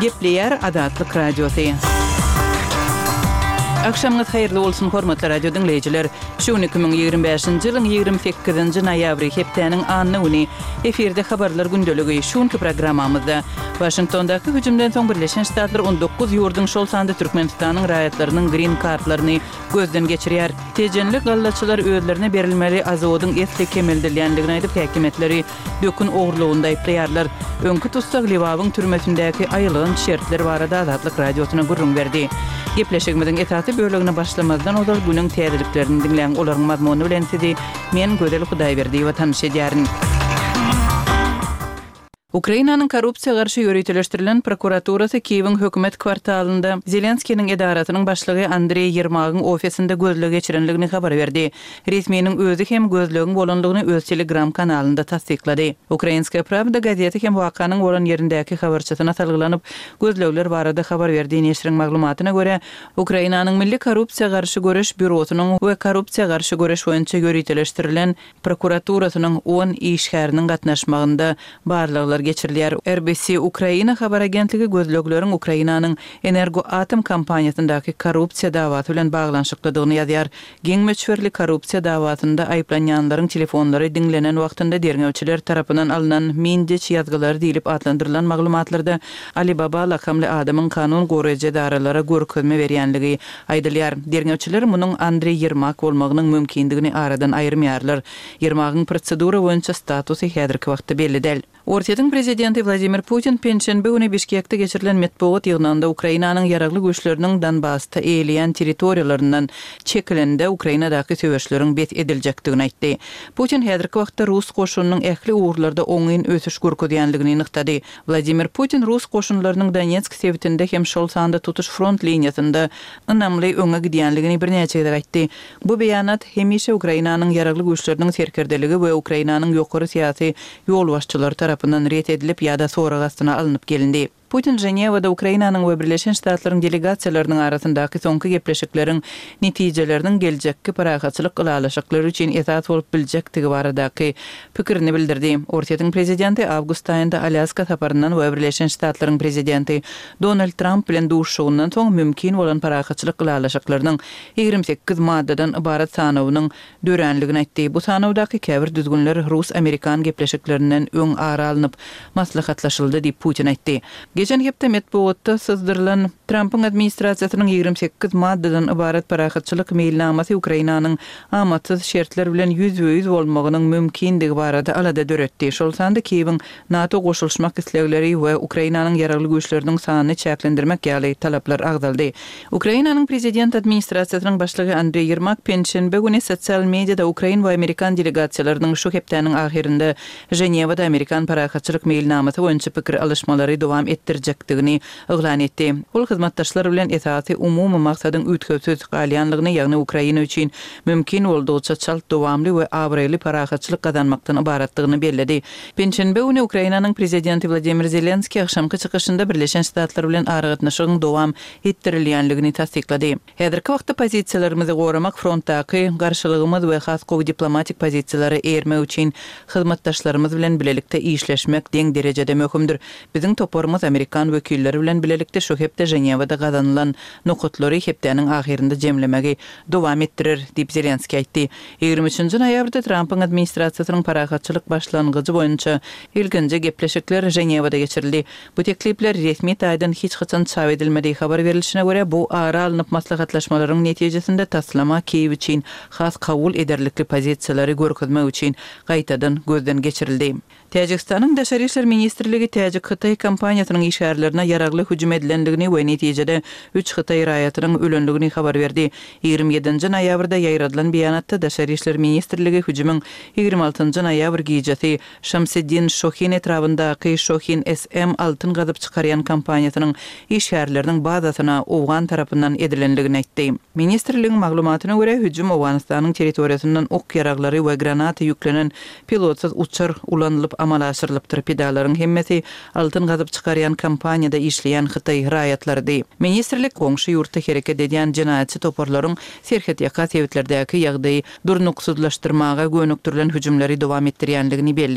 Gepleýär Azatlyk Radiosy. Agşamyňyz haýyrly bolsun, hormatly radio diňleýjiler! Şu gün 2025-nji ýylyň 28-nji noýabry, hepdäniň anna güni. Efirde Habarlar gündeligi. Şu günki programmamyzda, Waşingtondaky hüjümden soň Birleşen Ştatlar 19 ýurduň, şol sanda Türkmenistanyň raýatlarynyň grin kartlaryny gözden geçirýär. Tejenli gallaçylar özlerine berilmeli azodyň esli kemeldilýändigini aýdyp, häkimiýetleri dökün ogurlygynda aýyplaýarlar. Öňki tussag Lebabyň türmesindäki aýylganç şertler barada Azatlyk Radiosyna gürrüň berdi. Gepleşigimiziň esasy bölegine başlamazdan ozal günüň täzeliklerini diňläň, olaryň mazmuny bilen sizi men, Gözel Hudaýberdiýewa tanyş edýärin. Ukrainanyň korrupsiýa garşy ýöriteleşdirilen prokuraturasy Kiýewiň hökümet kwartalynda Zelenskiniň edarasynyň başlygy Andreý Ýermagyň ofisinde gözleg geçirendigini habar berdi. Resminiň özi hem gözlegiň bolandygyny öz Telegram kanalynda tassyklady. Ukrainskaýa prawda gazeti hem wakanyň bolan ýerindäki habarçysyna salgylanyp, gözlegler barada habar berdi. Neşiriň maglumatyna görä, Ukrainanyň Milli korrupsiýa garşy göreş býurosynyň we korrupsiýa garşy göreş boýunça ýöriteleşdirilen prokuraturasynyň on işgäriniň gatnaşmagynda barlaglar geçirilýär. RBC Ukraina habar agentligi gözlegleriň Ukrainanyň Energoatom kompaniýasyndaky korrupsiýa dawasy bilen baglanyşyklydygyny ýazýar. Giň möçberli korrupsiýa dawasynda aýyplanýanlaryň telefonlary diňlenen wagtynda derňewçiler tarapyndan alnan Mindiç ýazgylary diýlip atlandyrylan maglumatlarda Alibaba lakamly adamyň kanun goraýjy edaralara görkezme berýänligi Aýdylýar. Derňewçiler munuň Andreý Ýermak bolmagynyň mümkindigini aradan aýyrmaýarlar. Ýermagyň prosedura boýunça statusy häzirki wagtda belli däl. Orsýetiň prezidenti Wladimir Putin penşenbe güni Bişkekde geçirilen metbugat ýygnagynda Ukrainanyň ýaragly güýçleriniň Donbasda eýeleýän territoriýalaryndan çekilende Ukrainadaky söweşleriň bes ediljekdigini aýtdy. Putin häzirki wagtda rus goşunynyň ähli ugurlarda oňyn ösüş görkezýänligini nygtady. Wladimir Putin rus goşunlarynyň Donetsk sebitinde hem şol sanda tutuş front liniýasynda ynamly öňe gidýänligini birnäçe gezek aýtdy. Bu beýanat hemişe Ukrainanyň Ýaragly Güýçleriniň serkerdeligi we Ukrainanyň ýokary syýasy ýolbaşçylary tarapyndan ret edilip ýa-da sorag astyna alnyp gelindi. Putin Ženewada Ukrainanyň we Birleşen Ştatlaryň delegasiýalarynyň arasyndaky soňky gepleşikleriň netijeleriniň geljekki parahatçylyk ylalaşyklary üçin esas bolup biljekdigi baradaky pikirini bildirdi. Orsýetiň prezidenti awgust aýynda Alýaska saparyndan we Birleşen Ştatlaryň prezidenti Donald Tramp bilen duşuşygyndan soň mümkin bolan parahatçylyk ylalaşyklarynyň 28 maddadan ybarat sanawynyň döränligini aýtdy. Bu sanawdaky käbir düzgünler rus-amerikan gepleşiklerinden öň ara alnyp maslahatlaşyldy diýip, Putin aýtdy. Geçen hepde metbugatda syzdyrylan Trampyň administrasiýasynyň 28 maddadan ybarat parahatçylyk meýilnamasy Ukrainanyň amatsyz şertler bilen ýüzbe-ýüz bolmagynyň mümkindigi barada alada döretdi, şol sanda Kiýewiň NATO goşulyşmak islegleri we Ukrainanyň ýaragly güýçleriniň sanyny çäklendirmek ýaly talaplar agzaldy. Ukrainanyň prezident administrasiýasynyň başlygy Andreý Ýermak penşenbe güni sosial mediada ukrain we amerikan delegasiýalarynyň şu hepdäniň ahyrynda Ženewada amerikan parahatçylyk meýilnamasy boýunça pikir alyşmalary dowam etdirjekdigini yglan etdi. Ol hyzmatdaşlar bilen esasy umumy maksadyň üýtgewsiz galýanlygyny, ýagny Ukraina üçin mümkin boldugyça çalt, dowamly we abraýly parahatçylyk gazanmakdan ybaratdygyny belledi. Penşenbe güni Ukrainanyň Prezidenti Wladimir Zelenskiý agşamky çykyşynda Birleşen Ştatlar bilen aragatnaşygyň dowam etdirilýänligini tassyklady. Häzirki wagtda pozisiýalarymyzy goramak, frontdaky garşylygymyz we has gowy diplomatik pozisiýalara eýermek üçin hyzmatdaşlarymyz bilen bilelikde işleşmek deň derejede möhümdir. Biziň toparymyz amerikan wekilleri bilen bilelikde şu hepde Ženewada gazanylan nokatlary hepdäniň ahyrynda jemlemegi dowam etdirer, diýip Zelenskiý aýtdy. 23 nji noýabrda Trampyň administrasiýasynyň parahatçylyk başlangyjy boýunça ilkinji gepleşikler Ženewada geçirildi. Bu teklipler resmi taýdan hiç haçan çap edilmedi. Habar berlişine görä, bu ara alnyp maslahatlaşmalaryň netijesinde taslama Kiýew üçin has kabul ederlikli pozisiýalary görkezmek üçin gaýtadan gözden geçirildi. Täjigistanyň Daşary işler ministrligi täjik-hytaý kompaniýasynyň işgärlerine ýaragly hüjüm edilendigini we netijede üç hytaý raýatynyň ölendigini habar berdi. 27 nji noýabrda ýaýradylan beýanatda Daşary işler ministrligi hüjümiň 26 njy noýabr gijesi Şamseddin Şohin etrabyndaky Şohin SM altyn gazyp çykarýan kompaniýasynyň işgärleriniň bazasyna owgan tarapyndan edilendigini aýtdy. Ministrligiň maglumatyna görä, hüjüm Owganystanyň territoriýasyndan ok-ýaraglary we granata ýüklenen Pilotsyz uçar ulanylyp amala aşyrylypdyr. Pidalaryň hemmesi altyn gazyp çykarýan kompaniýada işleýän hytaý raýatlarydy. Ministrlik goňşy ýurtda hereket edýän jenaýatçy toparlaryň serhetýaka sebitlerdäki ýagdaýy durnuksyzlaşdyrmaga gönükdirilen hüjümleri dowam etdirýänligini belledi.